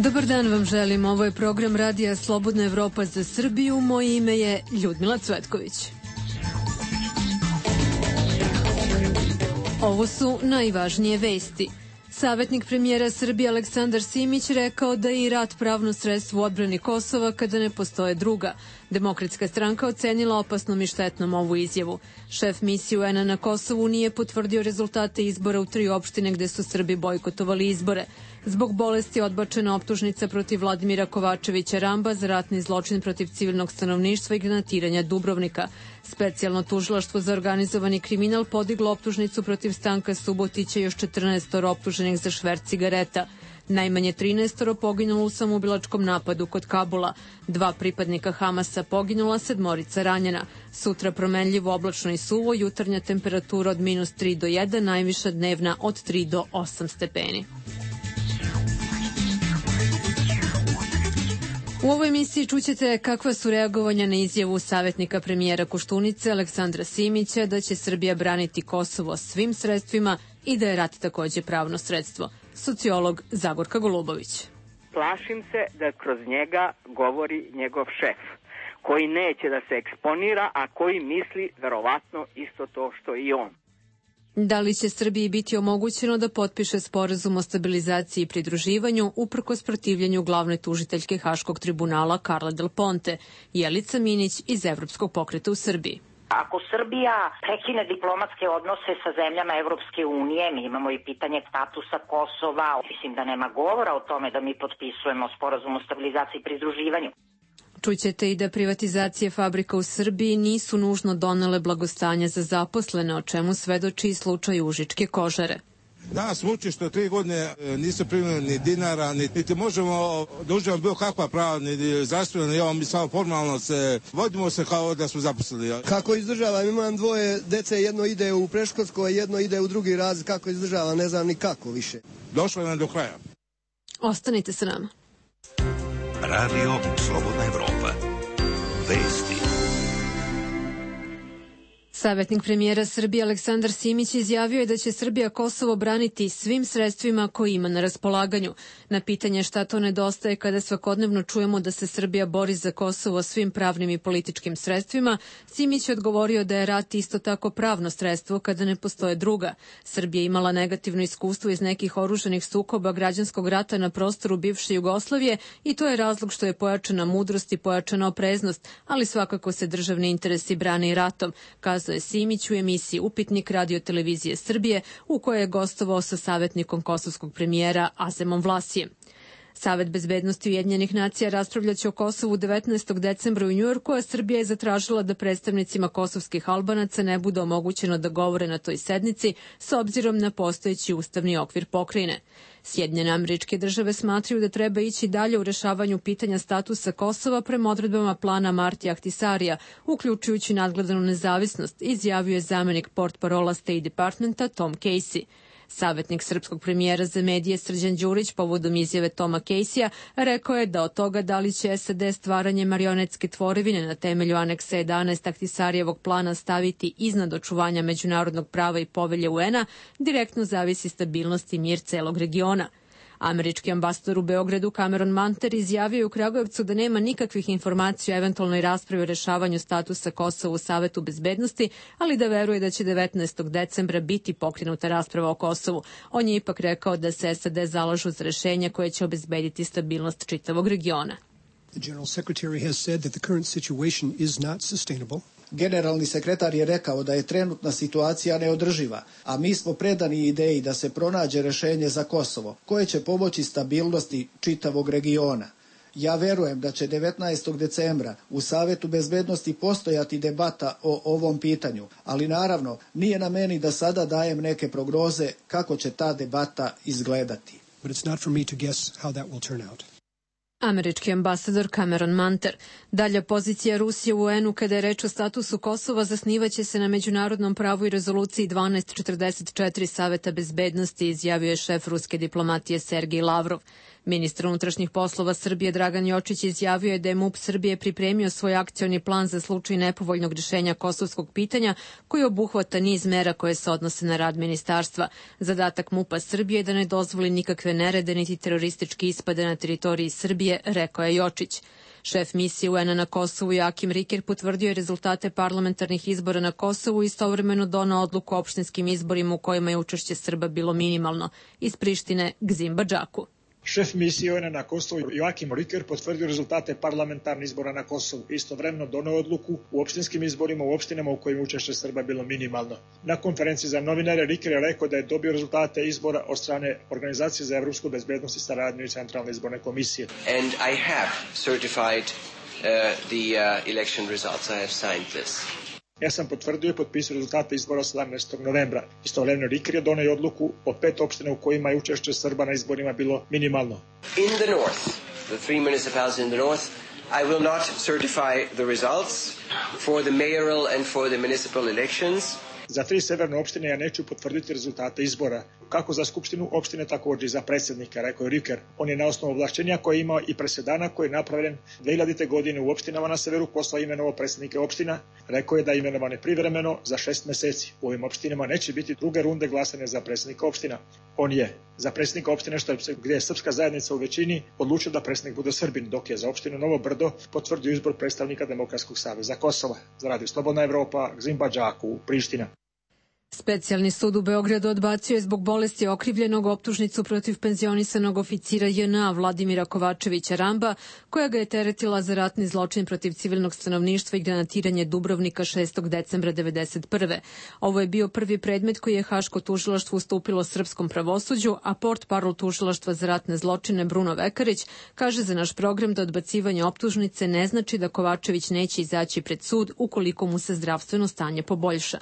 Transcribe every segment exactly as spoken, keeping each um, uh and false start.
Dobar dan vam želim. Ovo je program Radija Slobodna Evropa za Srbiju. Moje ime je Ljudmila Cvetković. Ovo su najvažnije vesti. Savetnik premijera Srbije Aleksandar Simić rekao da je i rat pravno sredstvo u odbrani Kosova kada ne postoje druga. Demokratska stranka ocenila opasnom i štetnom ovu izjavu. Šef misije U N-a na Kosovu nije potvrdio rezultate izbora u tri opštine gde su Srbi bojkotovali izbore. Zbog bolesti odbačena optužnica protiv Vladimira Kovačevića Ramba za ratni zločin protiv civilnog stanovništva i granatiranja Dubrovnika. Specijalno tužilaštvo za organizovani kriminal podiglo optužnicu protiv Stanka Subotića i još četrnaest optuženih za šverc cigareta. Najmanje trinaest poginulo u samoubilačkom napadu kod Kabula. Dva pripadnika Hamasa poginula, sedmorica ranjena. Sutra promenljivo, oblačno i suvo, jutarnja temperatura od minus tri do jedan, najviša dnevna od tri do osam stepeni. U ovoj emisiji čućete kakva su reagovanja na izjavu savetnika premijera Koštunice Aleksandra Simića da će Srbija braniti Kosovo svim sredstvima i da je rat takođe pravno sredstvo. Sociolog Zagorka Golubović. Plašim se da kroz njega govori njegov šef, koji neće da se eksponira, a koji misli verovatno isto to što i on. Da li će Srbiji biti omogućeno da potpiše sporazum o stabilizaciji i pridruživanju uprkos protivljenju glavne tužiteljke Haškog tribunala Karla Del Ponte? Jelica Minić iz Evropskog pokreta u Srbiji. Ako Srbija prekine diplomatske odnose sa zemljama Evropske unije, mi imamo i pitanje statusa Kosova, mislim da nema govora o tome da mi potpisujemo sporazum o stabilizaciji i pridruživanju. Čućete i da privatizacije fabrika u Srbiji nisu nužno donele blagostanje za zaposlene, o čemu svedoči slučaj Užičke kožare. Danas muči što tri godine nisu primili ni dinara, niti možemo da uživamo bilo kakva prava, ni zdravstveno, ni ovo, mi samo formalno se vodimo se kao da smo zaposlili. Kako izdržavam, imam dvoje dece, jedno ide u predškolsko, jedno ide u drugi razred, kako izdržavam, ne znam ni kako više. Došlo je nam do kraja. Ostanite sa nama. Radio Slobodna Evropa. Vesti. Savetnik premijera Srbije Aleksandar Simić izjavio je da će Srbija Kosovo braniti svim sredstvima koje ima na raspolaganju. Na pitanje šta to nedostaje kada svakodnevno čujemo da se Srbija bori za Kosovo svim pravnim i političkim sredstvima, Simić je odgovorio da je rat isto tako pravno sredstvo kada ne postoje druga. Srbija je imala negativno iskustvo iz nekih oružanih sukoba građanskog rata na prostoru bivše Jugoslavije i to je razlog što je pojačana mudrost i pojačana opreznost, ali svakako se državni interesi brane i ratom, kazao je Simić u emisiji Upitnik Radio televizije Srbije u kojoj je gostovao sa savetnikom kosovskog premijera Azemom Vlasijem. Savet bezbednosti Ujedinjenih nacija raspravljaće o Kosovu devetnaestog decembra u Njujorku, a Srbija je zatražila da predstavnicima kosovskih Albanaca ne bude omogućeno da govore na toj sednici s obzirom na postojeći ustavni okvir pokrajine. Sjedinjene Američke Države smatraju da treba ići dalje u rešavanju pitanja statusa Kosova prema odredbama plana Martija Ahtisarija, uključujući nadgledanu nezavisnost, izjavio je zamenik portparola State Departmenta Tom Casey. Savetnik srpskog premijera za medije Srđan Đurić povodom izjave Toma Casey-a rekao je da od toga da li će S A D stvaranje marionetske tvorevine na temelju aneksa jedanaest Ahtisarijevog plana staviti iznad očuvanja međunarodnog prava i povelje U N-a direktno zavisi stabilnost i mir celog regiona. Američki ambasador u Beogradu Cameron Manter izjavio je u Kragujevcu da nema nikakvih informacija o eventualnoj raspravi o rešavanju statusa Kosova u Savetu bezbednosti, ali da veruje da će devetnaestog decembra biti pokrenuta rasprava o Kosovu. On je ipak rekao da se S A D zalažu za rešenja koje će obezbediti stabilnost čitavog regiona. The General Secretary has said that the current situation is not sustainable. Generalni sekretar je rekao da je trenutna situacija neodrživa, a mi smo predani ideji da se pronađe rešenje za Kosovo, koje će pomoći stabilnosti čitavog regiona. Ja verujem da će devetnaestog decembra u Savetu bezbednosti postojati debata o ovom pitanju, ali naravno nije na meni da sada dajem neke prognoze kako će ta debata izgledati. But it's not for me to guess how that will turn out. Američki ambasador Cameron Manter. Dalja pozicija Rusije u U N-u kada je reč o statusu Kosova zasnivaće se na međunarodnom pravu i rezoluciji dvanaest četrdeset četiri Saveta bezbednosti, izjavio je šef ruske diplomatije Sergej Lavrov. Ministar unutrašnjih poslova Srbije Dragan Jočić izjavio je da je MUP Srbije pripremio svoj akcioni plan za slučaj nepovoljnog rješenja kosovskog pitanja koji obuhvata niz mera koje se odnose na rad ministarstva. Zadatak MUP-a Srbije je da ne dozvoli nikakve nerede niti teroristički ispade na teritoriji Srbije, rekao je Jočić. Šef misije U N-a na Kosovu Joakim Riker potvrdio je rezultate parlamentarnih izbora na Kosovu i istovremeno donao odluku o opštinskim izborima u kojima je učešće Srba bilo minimalno. Iz Prištine Gzim Badžaku. Šef misije U N-a na Kosovu Joakim Riker potvrdio rezultate parlamentarnih izbora na Kosovu i istovremeno doneo odluku u opštinskim izborima u opštinama u kojima učešće Srba bilo minimalno. Na konferenciji za novinare Riker je rekao da je dobio rezultate izbora od strane Organizacije za evropsku bezbednost i saradnju i Centralne izborne komisije. And I have certified uh, the uh, election results. I have signed this. Ja sam potvrdio i potpisao rezultate izbora sedamnaestog novembra. Istovremeno Riker je doneo odluku o pet opština u kojima je učešće Srba na izborima bilo minimalno. In the north, the three municipalities in the north, I will not certify the results for the mayoral and for the municipal elections. Za tri severne opštine ja neću potvrditi rezultate izbora, kako za skupštinu opštine, također i za predsjednika, rekao je Riker. On je na osnovu ovlašćenja koje je imao i presedana koji je napravljen dve hiljadite. godine u opštinama na severu Kosova imenovao predsjednike opština. Rekao je da je imenovan je privremeno za šest meseci. U ovim opštinama neće biti druge runde glasanja za predsjednika opština. On je za predsjednika opštine, što je, gdje je srpska zajednica u većini, odlučio da predsjednik bude Srbin, dok je za opštinu Novo Brdo potvrdio izbor predstavnika Demokratskog saveza Kosova. Za Radio Slobodna Evropa, Gzim Badžaku, Priština. Specijalni sud u Beogradu odbacio je zbog bolesti okrivljenog optužnicu protiv penzionisanog oficira J N A Vladimira Kovačevića Ramba, koja ga je teretila za ratni zločin protiv civilnog stanovništva i granatiranje Dubrovnika šestog decembra devedeset prve. Ovo je bio prvi predmet koji je Haško tužilaštvo ustupilo srpskom pravosuđu, a portparol tužilaštva za ratne zločine Bruno Vekarić kaže za naš program da odbacivanje optužnice ne znači da Kovačević neće izaći pred sud ukoliko mu se zdravstveno stanje poboljša.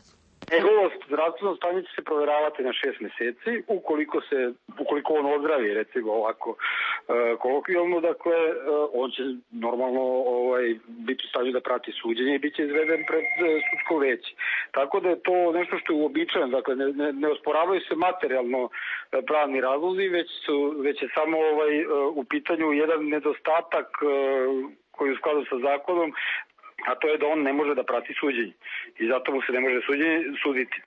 Njegovo zdravstveno stanje će se provjeravati na šest meseci, ukoliko se, ukoliko on ozdravi, recimo ovako e, kolokvijalno, dakle, e, on će normalno ovaj, biti u stanju da prati suđenje i bit će izveden pred e, sudsko veće. Tako da je to nešto što je uobičajeno, dakle, ne, ne, ne osporavaju se materijalno e, pravni razlozi, već, su, već je samo ovaj, e, u pitanju jedan nedostatak e, koji je u skladu sa zakonom, a to je da on ne može da prati suđenje i zato mu se ne može suđenje suditi.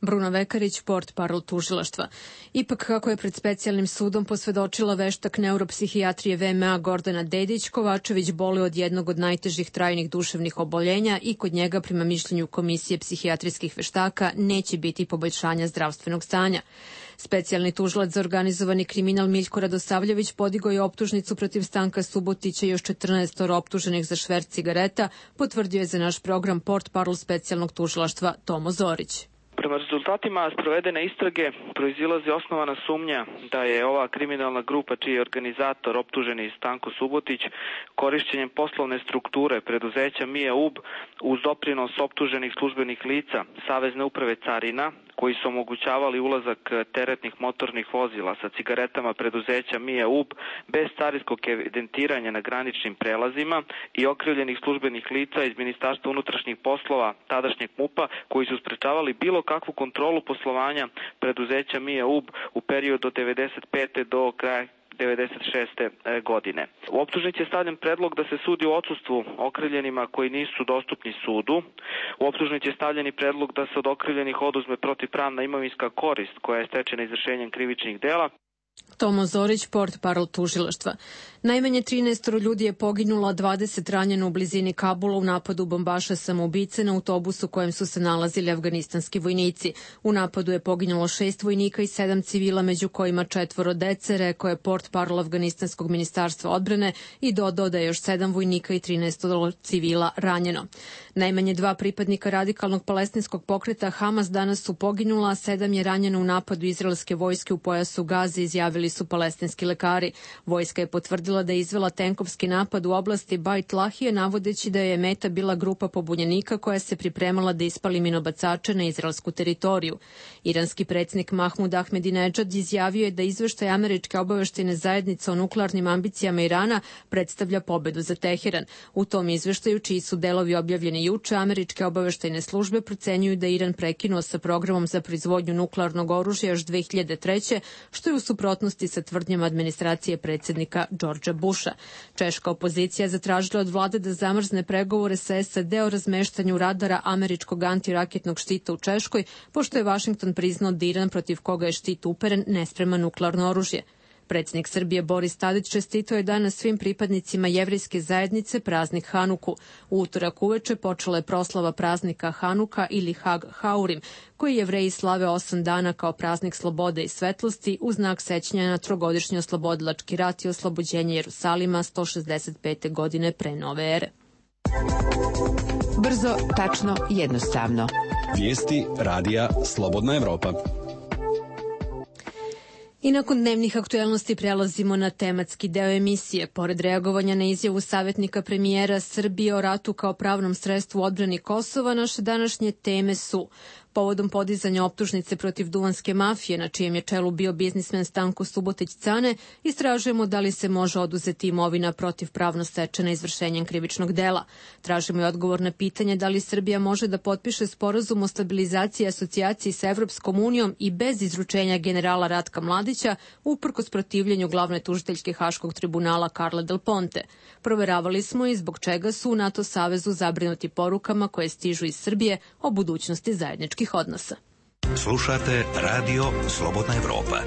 Bruno Vekarić, portparol tužilaštva. Ipak, kako je pred specijalnim sudom posvedočila veštak neuropsihijatrije V M A Gordana Dedić, Kovačević boluje od jednog od najtežih trajnih duševnih oboljenja i kod njega, prema mišljenju Komisije psihijatrijskih veštaka, neće biti poboljšanja zdravstvenog stanja. Specijalni tužilac za organizovani kriminal Miljko Radosavljević podigao je optužnicu protiv Stanka Subotića i još četrnaest optuženih za šverc cigareta, potvrdio je za naš program portparol specijalnog tužilaštva Tomo Zorić. Prema rezultatima sprovedene istrage proizilazi osnovana sumnja da je ova kriminalna grupa čiji je organizator optuženi Stanko Subotić korišćenjem poslovne strukture preduzeća Mija U B uz doprinos optuženih službenih lica Savezne uprave carina koji su omogućavali ulazak teretnih motornih vozila sa cigaretama preduzeća Mija U B bez carinskog evidentiranja na graničnim prelazima i okrivljenih službenih lica iz Ministarstva unutrašnjih poslova tadašnjeg MUP-a koji su sprečavali bilo kakvu kontrolu poslovanja preduzeća Mija U B u periodu od devedeset pete do kraja devedeset šeste godine. U optužnici je stavljen predlog da se sudi u odsustvu okrivljenima koji nisu dostupni sudu. U optužnici je stavljen i predlog da se od okrivljenih oduzme protivpravna imovinska korist koja je stečena izvršenjem krivičnih dela. Tomo Zorić, portparol tužilaštva. Najmanje trinaest ljudi je poginulo, a dvadeset ranjeno u blizini Kabula u napadu bombaša samoubice na autobusu kojem su se nalazili afganistanski vojnici. U napadu je poginulo šest vojnika i sedam civila, među kojima četvoro dece, rekao je portparol afganistanskog ministarstva odbrane i dodao da je još sedam vojnika i trinaest civila ranjeno. Najmanje dva pripadnika radikalnog palestinskog pokreta Hamas danas su poginula, a sedam je ranjeno u napadu izraelske vojske u pojasu Gaze, izjavili su palestinski lekari. Vojska je potvrdila da je izvela tenkovski napad u oblasti Bajt Lahije, navodeći da je meta bila grupa pobunjenika koja se pripremala da ispali minobacače na izraelsku teritoriju. Iranski predsjednik Mahmud Ahmedinedžad izjavio je da izveštaj američke obaveštajne zajednice o nuklearnim ambicijama Irana predstavlja pobedu za Teheran. U tom izveštaju, čiji su delovi objavljeni juče, američke obaveštajne službe procenjuju da Iran prekinuo sa programom za proizvodnju nuklearnog oružja još dve hiljade treće, što je u suprotnosti suprotnosti sa tvrdnjama administracije predsjednika Đorđa Busha. Češka opozicija zatražila od vlade da zamrzne pregovore sa S A D o razmeštanju radara američkog antiraketnog štita u Češkoj, pošto je Vašington priznao da Iran, protiv koga je štit uperen, ne sprema nuklearno oružje. Predsjednik Srbije Boris Tadić čestitao je danas svim pripadnicima jevrejske zajednice praznik Hanuku. U utorak uveče počela je proslava praznika Hanuka ili Hag Haurim, koji Jevreji slave osam dana kao praznik slobode i svetlosti u znak sećanja na trogodišnji oslobodilački rat i oslobođenje Jerusalima sto šezdeset pete godine pre nove ere. Brzo, tačno, jednostavno. Vijesti radija Slobodna Evropa. I nakon dnevnih aktuelnosti prelazimo na tematski deo emisije. Pored reagovanja na izjavu savjetnika premijera Srbije o ratu kao pravnom sredstvu u odbrani Kosova, naše današnje teme su: povodom podizanja optužnice protiv duvanske mafije, na čijem je čelu bio biznismen Stanko Subotić-Cane, istražujemo da li se može oduzeti imovina protivpravno stečena izvršenjem krivičnog dela. Tražimo i odgovor na pitanje da li Srbija može da potpiše sporazum o stabilizaciji i asocijaciji sa Evropskom unijom i bez izručenja generala Ratka Mladića, uprkos protivljenju glavne tužiteljske Haškog tribunala Karla Del Ponte. Proveravali smo i zbog čega su u NATO savezu zabrinuti porukama koje stižu iz Srbije o budućnosti zajedničkih odnosa. Slušate Radio Slobodna Evropa.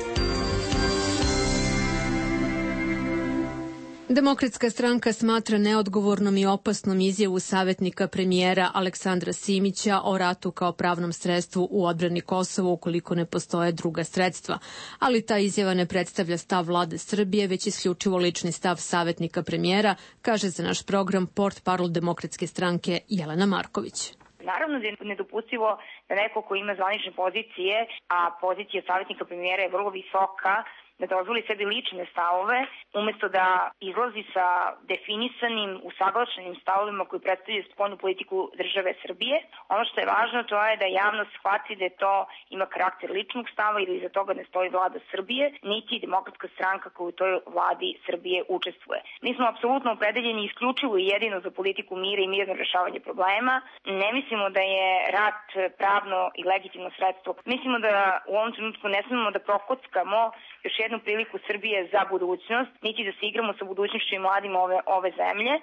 Demokratska stranka smatra neodgovornom i opasnom izjavu savjetnika premijera Aleksandra Simića o ratu kao pravnom sredstvu u odbrani Kosova ukoliko ne postoje druga sredstva. Ali ta izjava ne predstavlja stav vlade Srbije, već isključivo lični stav savjetnika premijera, kaže za naš program portparol Demokratske stranke Jelena Marković. Naravno da je nedopustivo da neko ko ima zvanične pozicije, a pozicija savjetnika premijera je vrlo visoka, da dozvoli sebi lične stavove, umesto da izlazi sa definisanim, usaglašenim stavovima koji predstavljaju spoljnu politiku države Srbije. Ono što je važno to je da javnost shvati da je to ima karakter ličnog stava ili iza toga ne stoji vlada Srbije, niti demokratska stranka koja u toj vladi Srbije učestvuje. Mi smo apsolutno opredeljeni isključivo i jedino za politiku mira i mirno rešavanje problema. Ne mislimo da je rat pravno i legitimno sredstvo. Mislimo da u ovom trenutku ne smemo da prokockamo još jednu priliku Srbije za budućnost, niti da se igramo sa budućnošću i mladim ove, ove zemlje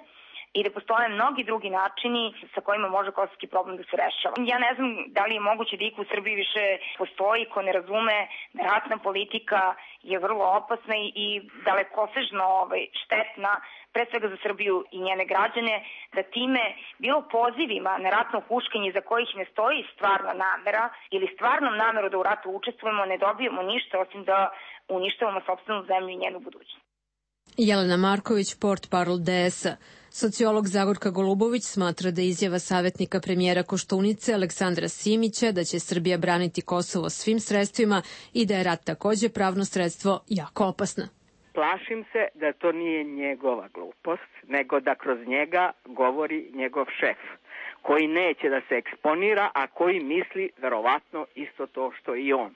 i da postoje mnogi drugi načini sa kojima može kosovski problem da se rešava. Ja ne znam da li je moguće da iko u Srbiji više postoji ko ne razume da ratna politika je vrlo opasna i, i dalekosežno ovaj, štetna, pre svega za Srbiju i njene građane, da time bilo pozivima na ratno huškanje za kojih ne stoji stvarna namera ili stvarnom nameru da u ratu učestvujemo ne dobijemo ništa osim da uništavamo sopstvenu zemlju i njenu budućnost. Jelena Marković, portparol D S A. Sociolog Zagorka Golubović smatra da izjava savjetnika premijera Koštunice Aleksandra Simića da će Srbija braniti Kosovo svim sredstvima i da je rat takođe pravno sredstvo jako opasna. Plašim se da to nije njegova glupost, nego da kroz njega govori njegov šef, koji neće da se eksponira, a koji misli verovatno isto to što i on.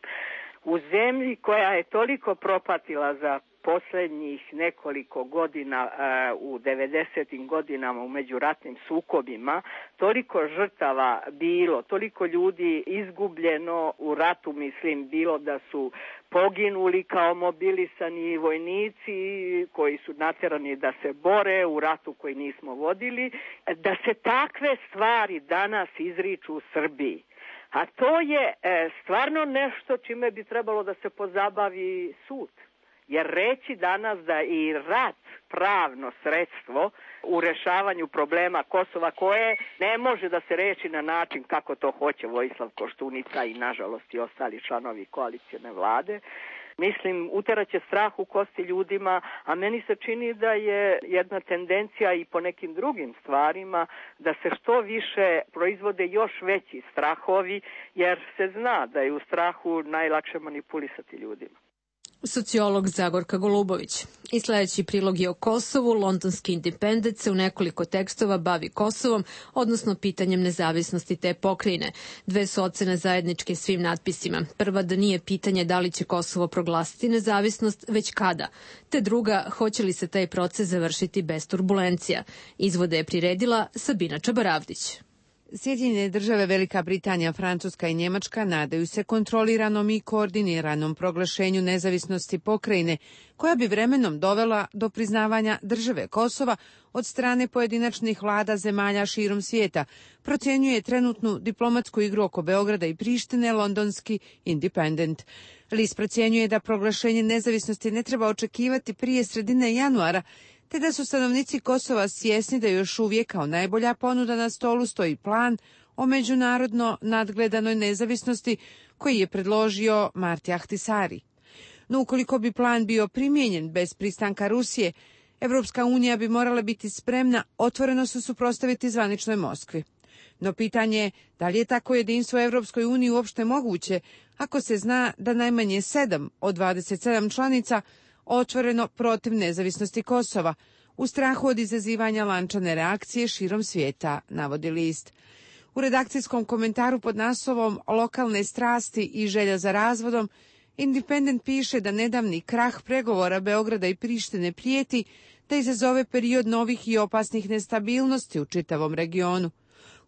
U zemlji koja je toliko propatila za poslednjih nekoliko godina uh, u devedesetim godinama u međuratnim sukobima, toliko žrtava bilo, toliko ljudi izgubljeno u ratu, mislim, bilo da su poginuli kao mobilisani vojnici koji su naterani da se bore u ratu koji nismo vodili, da se takve stvari danas izriču u Srbiji. A to je e, stvarno nešto čime bi trebalo da se pozabavi sud. Jer reći danas da i rat pravno sredstvo u rešavanju problema Kosova koje ne može da se reši na način kako to hoće Vojislav Koštunica i nažalost i ostali članovi koalicijne vlade, mislim, uteraće strah u kosti ljudima, a meni se čini da je jedna tendencija i po nekim drugim stvarima da se što više proizvode još veći strahovi, jer se zna da je u strahu najlakše manipulisati ljudima. Sociolog Zagorka Golubović. I sledeći prilog je o Kosovu. Londonski Independent se u nekoliko tekstova bavi Kosovom, odnosno pitanjem nezavisnosti te pokrajine. Dve su ocene zajedničke svim natpisima. Prva da nije pitanje da li će Kosovo proglasiti nezavisnost, već kada. Te druga, hoće li se taj proces završiti bez turbulencija. Izvode je priredila Sabina Čabaravdić. Sjedinjene države, Velika Britanija, Francuska i Njemačka nadaju se kontroliranom i koordiniranom proglašenju nezavisnosti pokrajine, koja bi vremenom dovela do priznavanja države Kosova od strane pojedinačnih vlada zemalja širom svijeta, procjenjuje trenutnu diplomatsku igru oko Beograda i Prištine londonski Independent. List procjenjuje da proglašenje nezavisnosti ne treba očekivati prije sredine januara, te da su stanovnici Kosova svjesni da još uvijek kao najbolja ponuda na stolu stoji plan o međunarodno nadgledanoj nezavisnosti koji je predložio Marti Ahtisari. No ukoliko bi plan bio primijenjen bez pristanka Rusije, Evropska unija bi morala biti spremna otvoreno se suprotstaviti zvaničnoj Moskvi. No pitanje je da li je tako jedinstvo Evropskoj uniji uopšte moguće ako se zna da najmanje sedam od dvadeset sedam članica otvoreno protiv nezavisnosti Kosova, u strahu od izazivanja lančane reakcije širom svijeta, navodi list. U redakcijskom komentaru pod naslovom Lokalne strasti i želja za razvodom, Independent piše da nedavni krah pregovora Beograda i Prištine prijeti da izazove period novih i opasnih nestabilnosti u čitavom regionu.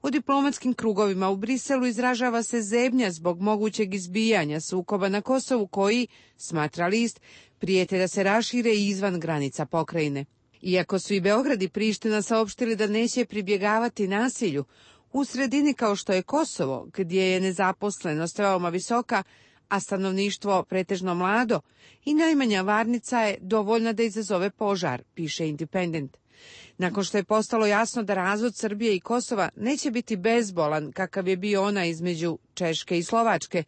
U diplomatskim krugovima u Briselu izražava se zebnja zbog mogućeg izbijanja sukoba na Kosovu koji, smatra list, prijete da se rašire izvan granica pokrajine. Iako su i Beograd i Priština saopštili da neće pribjegavati nasilju, u sredini kao što je Kosovo, gdje je nezaposlenost veoma visoka, a stanovništvo pretežno mlado, i najmanja varnica je dovoljna da izazove požar, piše Independent. Nakon što je postalo jasno da razvod Srbije i Kosova neće biti bezbolan kakav je bio ona između Češke i Slovačke,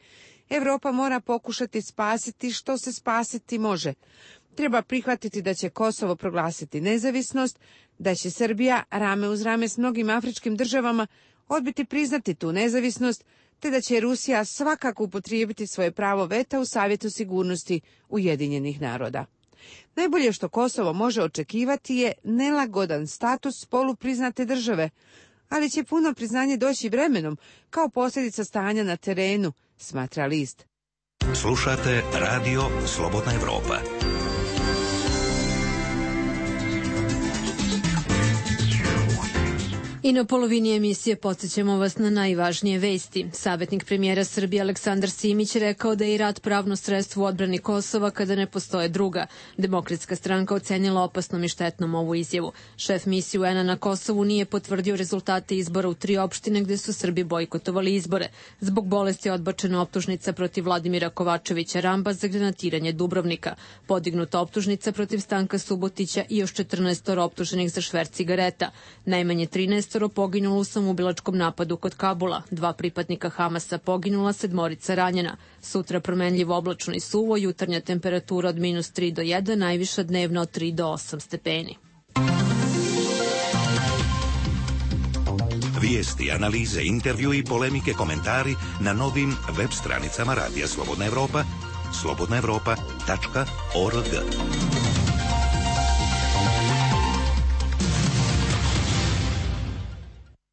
Evropa mora pokušati spasiti što se spasiti može. Treba prihvatiti da će Kosovo proglasiti nezavisnost, da će Srbija rame uz rame s mnogim afričkim državama odbiti priznati tu nezavisnost, te da će Rusija svakako upotrijebiti svoje pravo veta u Savjetu sigurnosti Ujedinjenih naroda. Najbolje što Kosovo može očekivati je nelagodan status polupriznate države, ali će puno priznanje doći vremenom kao posljedica stanja na terenu, smatra list. Slušate Radio Slobodna Evropa. I na polovini emisije podsjećamo vas na najvažnije vesti. Savjetnik premijera Srbije Aleksandar Simić rekao da je i rat pravno sredstvo u odbrani Kosova kada ne postoje druga. Demokratska stranka ocenila opasnom i štetnom ovu izjavu. Šef misije U N A na Kosovu nije potvrdio rezultate izbora u tri opštine gde su Srbi bojkotovali izbore. Zbog bolesti je odbačena optužnica protiv Vladimira Kovačevića Ramba za granatiranje Dubrovnika. Podignuta optužnica protiv Stanka Subotića i još četrnaest optuženih za šverc cigareta. Najmanje trinaest poginulo u samoubilačkom napadu kod Kabula, dva pripadnika Hamasa poginula, sedmorica ranjena. Sutra promenljivo oblačno i suvo, jutarnja temperatura od minus tri do jedan, najviša dnevna od tri do osam stepeni. Vijesti, analize, intervju i polemike, komentari na novim web stranicama Radija Slobodna Evropa, slobodna evropa tačka org.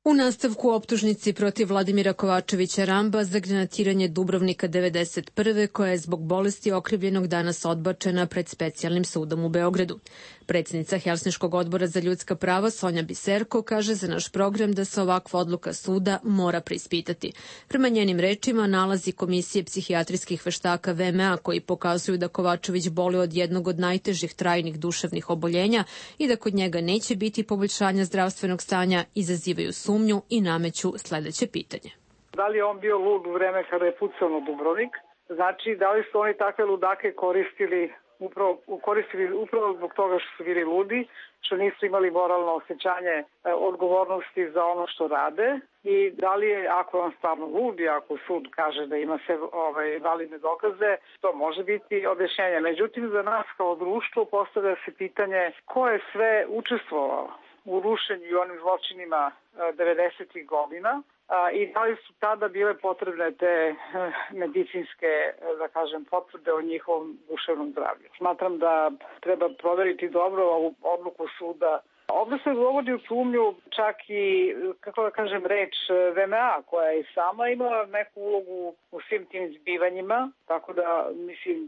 U nastavku optužnici protiv Vladimira Kovačevića Ramba za granatiranje Dubrovnika devedeset prve koja je zbog bolesti okrivljenog danas odbačena pred specijalnim sudom u Beogradu. Predsjednica Helsinškog odbora za ljudska prava Sonja Biserko kaže za naš program da se ovakva odluka suda mora preispitati. Prema njenim rečima, nalazi Komisije psihijatrijskih veštaka V M A koji pokazuju da Kovačević boluje od jednog od najtežih trajnih duševnih oboljenja i da kod njega neće biti poboljšanja zdravstvenog stanja, izazivaju sumnju i nameću sledeće pitanje. Da li je on bio lud u vreme kada je pucao na Dubrovnik? Znači, da li su oni takve ludake koristili upravo, koristili upravo zbog toga što su bili ludi, što nisu imali moralno osjećanje e, odgovornosti za ono što rade, i da li je, ako je on stvarno lud i ako sud kaže da ima sve ovaj, validne dokaze, to može biti objašnjenje. Međutim, za nas kao društvo postavlja se pitanje ko je sve učestvovao u rušenju i onim zločinima devedesetih godina, i da li su tada bile potrebne te medicinske, da kažem, potvrde o njihovom duševnom zdravlju. Smatram da treba proveriti dobro ovu odluku suda. Ovdje se dovodi u sumnju čak i, kako da kažem, reč V M A koja je sama imala neku ulogu u svim tim zbivanjima, tako da, mislim,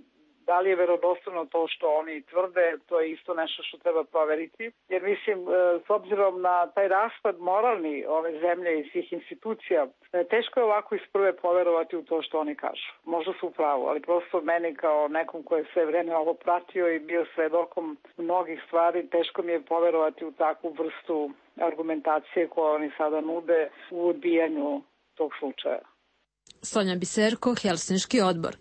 Da li je verodostojno to što oni tvrde, to je isto nešto što treba proveriti. Jer mislim, s obzirom na taj raspad moralni ove zemlje i svih institucija, teško je ovako iz prve poverovati u to što oni kažu. Možda su u pravu, ali prosto meni kao nekom ko je sve vreme ovo pratio i bio svedokom mnogih stvari, teško mi je poverovati u takvu vrstu argumentacije koju oni sada nude u odbijanju tog slučaja. Sonja Biserko, Helsinški odbor.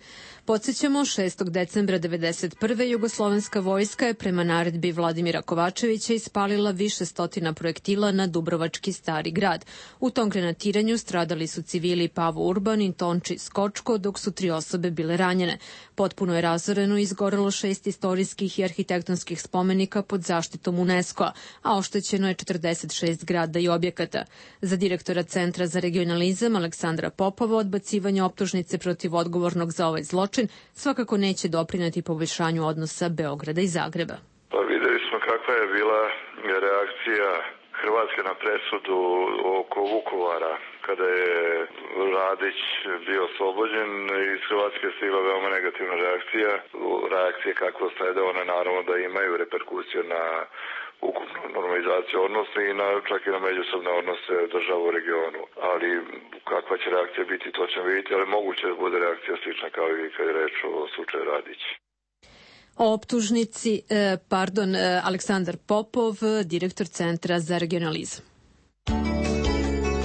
Podsjećamo, šestog decembra devedeset prve jugoslovenska vojska je prema naredbi Vladimira Kovačevića ispalila više stotina projektila na Dubrovački Stari grad. U tom grenatiranju stradali su civili Pavo Urban i Tonči Skočko, dok su tri osobe bile ranjene. Potpuno je razoreno i izgorelo šest istorijskih i arhitektonskih spomenika pod zaštitom UNESCO-a, a oštećeno je četrdeset šest zgrada i objekata. Za direktora Centra za regionalizam Aleksandra Popova odbacivanje optužnice protiv odgovornog za ovaj zločin svakako neće doprineti poboljšanju odnosa Beograda i Zagreba. Pa videli smo kakva je bila reakcija Hrvatske na presudu oko Vukovara kada je Radić bio oslobođen. Iz Hrvatske je stigla veoma negativna reakcija. Reakcije kakve slede, one naravno da imaju reperkusije na ukupnu normalizaciju odnosa i na, čak i na međusobne odnose država u regionu. Ali kakva će reakcija biti, to ćemo vidjeti, ali moguće da bude reakcija slična kao i kad je reč o slučaju Radić. O optužnici, eh, pardon, eh, Aleksandar Popov, direktor Centra za regionalizam.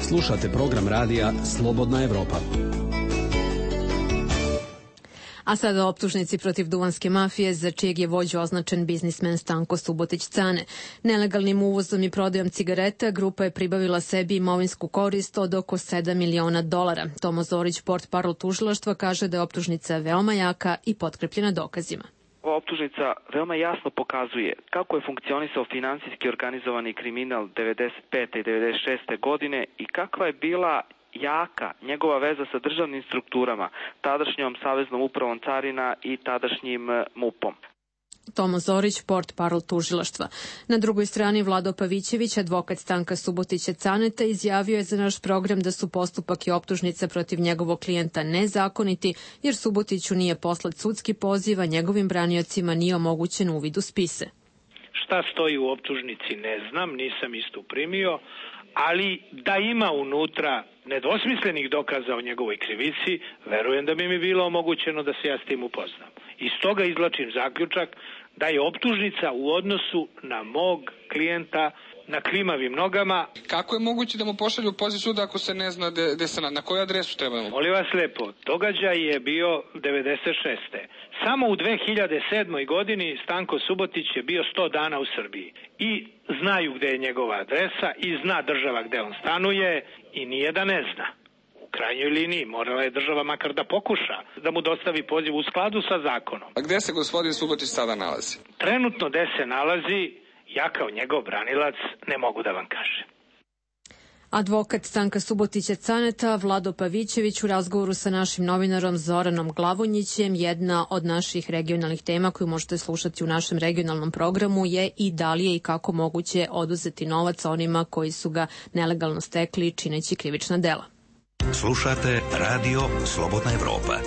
Slušate program radija Slobodna Evropa. A sada o optužnici protiv duvanske mafije, za čijeg je vođu označen biznismen Stanko Subotić-Cane. Nelegalnim uvozom i prodajom cigareta grupa je pribavila sebi imovinsku korist od oko sedam miliona dolara. Tomo Zorić, portparol tužilaštva, kaže da je optužnica veoma jaka i potkrepljena dokazima. Ova optužnica veoma jasno pokazuje kako je funkcionisao finansijski organizovani kriminal devedeset pete i devedeset šeste godine i kakva je bila jaka njegova veza sa državnim strukturama, tadašnjom Saveznom upravom carina i tadašnjim MUP-om. Tomo Zorić, portparol tužilaštva. Na drugoj strani Vlado Pavićević, advokat Stanka Subotića-Caneta, izjavio je za naš program da su postupak i optužnica protiv njegovog klijenta nezakoniti, jer Subotiću nije poslat sudski poziv, a njegovim braniocima nije omogućen uvid u spise. Šta stoji u optužnici ne znam, nisam isto primio, ali da ima unutra nedvosmislenih dokaza o njegovoj krivici, verujem da bi mi bilo omogućeno da se ja s tim upoznam. Iz toga izvlačim zaključak da je optužnica u odnosu na mog klijenta na klimavim nogama. Kako je moguće da mu pošalju poziv suda ako se ne zna de, de se na, na koju adresu trebamo? Molim vas lepo, događaj je bio devedeset šeste. Samo u dve hiljade sedmoj godini Stanko Subotić je bio sto dana u Srbiji. I znaju gde je njegova adresa i zna država gde on stanuje i nije da ne zna. U krajnjoj liniji morala je država makar da pokuša da mu dostavi poziv u skladu sa zakonom. A gde se gospodin Subotić sada nalazi? Trenutno gde se nalazi, ja kao njegov branilac ne mogu da vam kažem. Advokat Stanka Subotića-Caneta, Vlado Pavićević, u razgovoru sa našim novinarom Zoranom Glavonjićem, jedna od naših regionalnih tema koju možete slušati u našem regionalnom programu je i da li je i kako moguće oduzeti novac onima koji su ga nelegalno stekli čineći krivična dela. Slušate Radio Slobodna Evropa.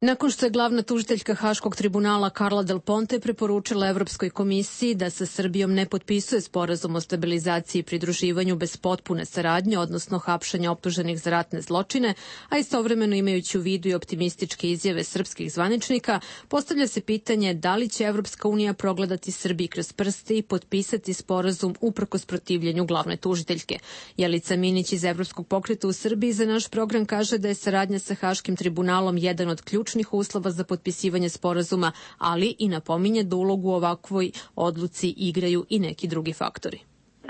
Nakon što je glavna tužiteljka Haškog tribunala Karla Del Ponte preporučila Evropskoj komisiji da sa Srbijom ne potpisuje sporazum o stabilizaciji i pridruživanju bez potpune saradnje, odnosno hapšanja optuženih za ratne zločine, a istovremeno imajući u vidu i optimističke izjave srpskih zvaničnika, postavlja se pitanje da li će Evropska unija progledati Srbiji kroz prste i potpisati sporazum uprkos protivljenju glavne tužiteljke. Jelica Minić iz Evropskog pokreta u Srbiji za naš program kaže da je saradnja sa Haškim tribunalom jedan od ključnih uslova za potpisivanje sporazuma, ali i napominje da ulogu u ovakvoj odluci igraju i neki drugi faktori.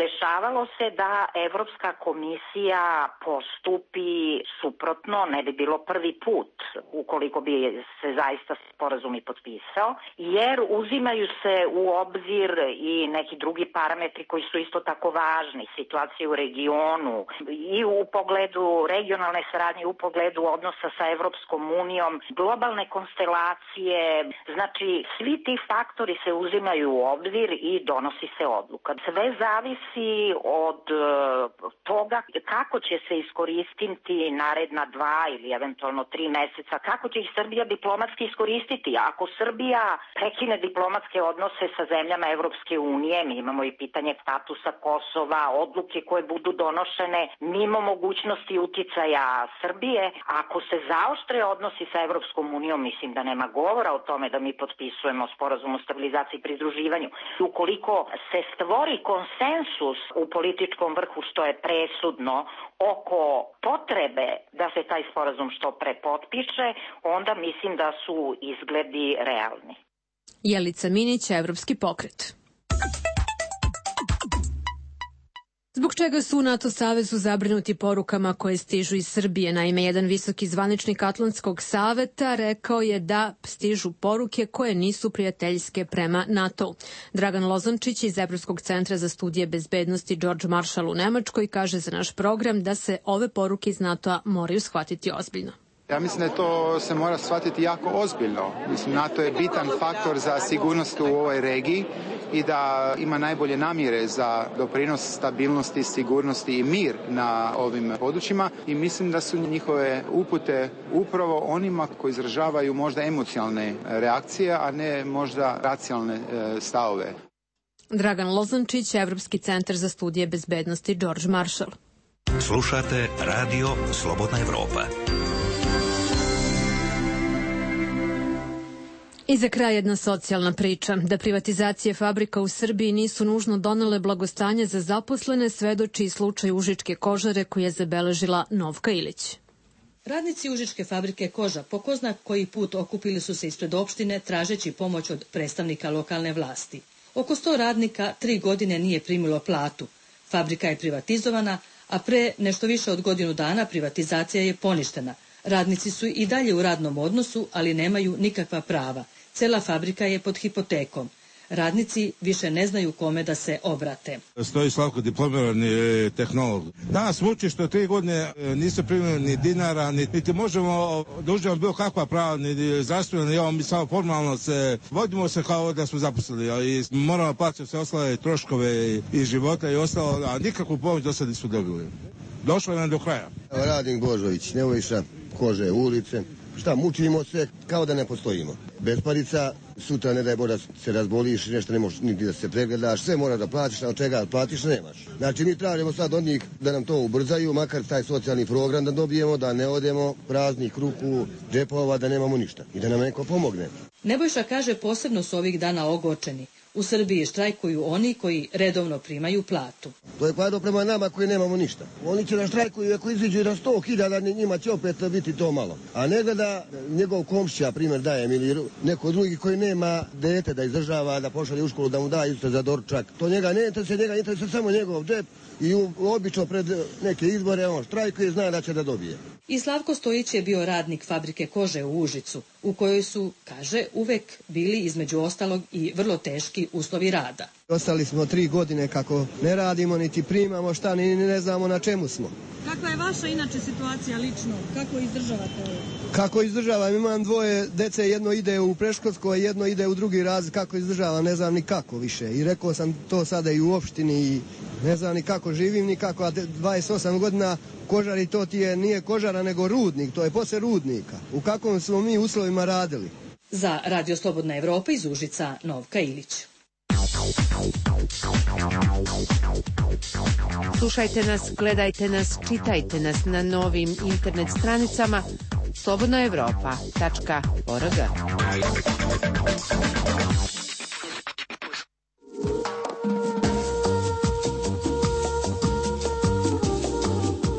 Dešavalo se da Evropska komisija postupi suprotno, ne bi bilo prvi put ukoliko bi se zaista sporazum i potpisao, jer uzimaju se u obzir i neki drugi parametri koji su isto tako važni, situacije u regionu i u pogledu regionalne saradnje, u pogledu odnosa sa Evropskom unijom, globalne konstelacije, znači svi ti faktori se uzimaju u obzir i donosi se odluka. Sve zavisi zavisi od toga kako će se iskoristiti naredna dva ili eventualno tri meseca, kako će ih Srbija diplomatski iskoristiti. Ako Srbija prekine diplomatske odnose sa zemljama Evropske unije, mi imamo i pitanje statusa Kosova, odluke koje budu donošene mimo mogućnosti uticaja Srbije. Ako se zaoštre odnosi sa Evropskom unijom, mislim da nema govora o tome da mi potpisujemo sporazum o stabilizaciji i pridruživanju. Ukoliko se stvori konsensus u političkom vrhu, što je presudno, oko potrebe da se taj sporazum što pre potpiše, onda mislim da su izgledi realni. Jelica Minić, Evropski pokret. Zbog čega su u NATO savezu zabrinuti porukama koje stižu iz Srbije? Naime, jedan visoki zvaničnik Atlantskog saveta rekao je da stižu poruke koje nisu prijateljske prema NATO. Dragan Lozančić iz Evropskog centra za studije bezbednosti George Marshall u Nemačkoj kaže za naš program da se ove poruke iz NATO-a moraju shvatiti ozbiljno. Ja mislim da je to se mora shvatiti jako ozbiljno. Mislim, NATO je bitan faktor za sigurnost u ovoj regiji i da ima najbolje namjere za doprinos stabilnosti, sigurnosti i mir na ovim područjima i mislim da su njihove upute upravo onima koji izražavaju možda emocionalne reakcije, a ne možda racionalne stavove. Dragan Lozančić, Evropski centar za studije bezbednosti George Marshall. Slušate Radio Slobodna Evropa. I za kraj jedna socijalna priča. Da privatizacije fabrika u Srbiji nisu nužno donele blagostanje za zaposlene, svedoči slučaj Užičke kožare koji je zabeležila Novka Ilić. Radnici Užičke fabrike koža po ko zna koji put okupili su se ispred opštine tražeći pomoć od predstavnika lokalne vlasti. Oko sto radnika tri godine nije primilo platu. Fabrika je privatizovana, a pre nešto više od godinu dana privatizacija je poništena. Radnici su i dalje u radnom odnosu, ali nemaju nikakva prava. Cela fabrika je pod hipotekom. Radnici više ne znaju kome da se obrate. Stoji Slavko, diplomirani tehnolog. Danas muči što tri godine nisu primili ni dinara, niti možemo da uživamo bilo kakva prava, ni zdravstveno, ni ovo, mi samo formalno se vodimo se kao da smo zaposlili, ali moramo plaćati sve ostale troškove i života i ostalo, a nikakvu pomoć do sada nismo dobili. Došlo nam do kraja. Radnik Božović, Nevojša, kože, ulice. Šta, mučimo se kao da ne postojimo. Besparica, sutra ne daj Bože se razboliš, nešto ne možeš niti da se pregledaš, sve moraš da platiš, a od čega platiš nemaš. Znači mi tražimo sad od njih da nam to ubrzaju, makar taj socijalni program da dobijemo, da ne odemo praznih ruku, džepova, da nemamo ništa i da nam neko pomogne. Nebojša kaže posebno su ovih dana ogorčeni. U Srbiji štrajkuju oni koji redovno primaju platu. To je kvado prema nama koji nemamo ništa. Oni će da štrajkuju ako iziđu na sto hiljada, njima će opet biti to malo. A ne gleda njegov komšća, primjer dajem, ili neko drugi koji nema dete da izdržava, da pošalje u školu, da mu da isto za doručak. To njega ne interesuje, njega interesuje samo njegov džep i obično pred neke izbore on štrajkuje i zna da će da dobije. I Slavko Stojić je bio radnik fabrike kože u Užicu, u kojoj su, kaže, uvek bili između ostalog i vrlo teški uslovi rada. Ostali smo tri godine kako ne radimo, niti primamo šta, ni ne znamo na čemu smo. Kakva je vaša inače situacija lično? Kako izdržavate ovo? Kako izdržavam? Imam dvoje dece, jedno ide u preškolsko, a jedno ide u drugi razred. Kako izdržavam? Ne znam ni kako više. I rekao sam to sada i u opštini i ne znam ni kako živim, ni kako. A dvadeset osam godina kožari, to ti je, nije kožara nego rudnik, to je posle rudnika. U kakvom smo mi uslovima radili? Za Radio Slobodna Evropa iz Užica, Novka Ilić. Slušajte nas, gledajte nas, čitajte nas na novim internet stranicama slobodna evropa tačka org.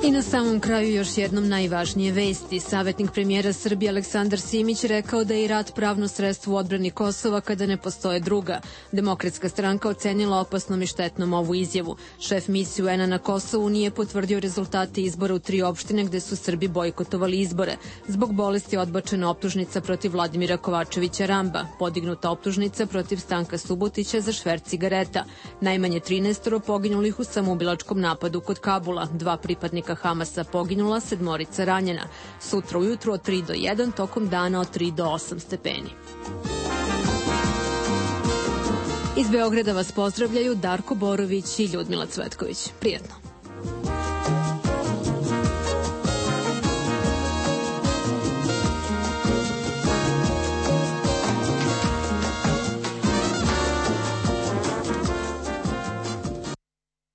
I na samom kraju još jednom najvažnije vesti. Savjetnik premijera Srbije Aleksandar Simić rekao da je i rat pravno sredstvo u odbrani Kosova kada ne postoje druga. Demokratska stranka ocenila opasnom i štetnom ovu izjavu. Šef misije U N-a na Kosovu nije potvrdio rezultate izbora u tri opštine gde su Srbi bojkotovali izbore. Zbog bolesti odbačena optužnica protiv Vladimira Kovačevića Ramba, podignuta optužnica protiv Stanka Subotića za šverc cigareta. Najmanje trinaest poginulih u samoubilačkom napadu kod Kabula, dva pripadnika Hamasa poginula, sedmorica ranjena. Sutra ujutru od tri do jedan, tokom dana od tri do osam stepeni. Iz Beograda vas pozdravljaju Darko Borović i Ljudmila Cvetković. Prijetno.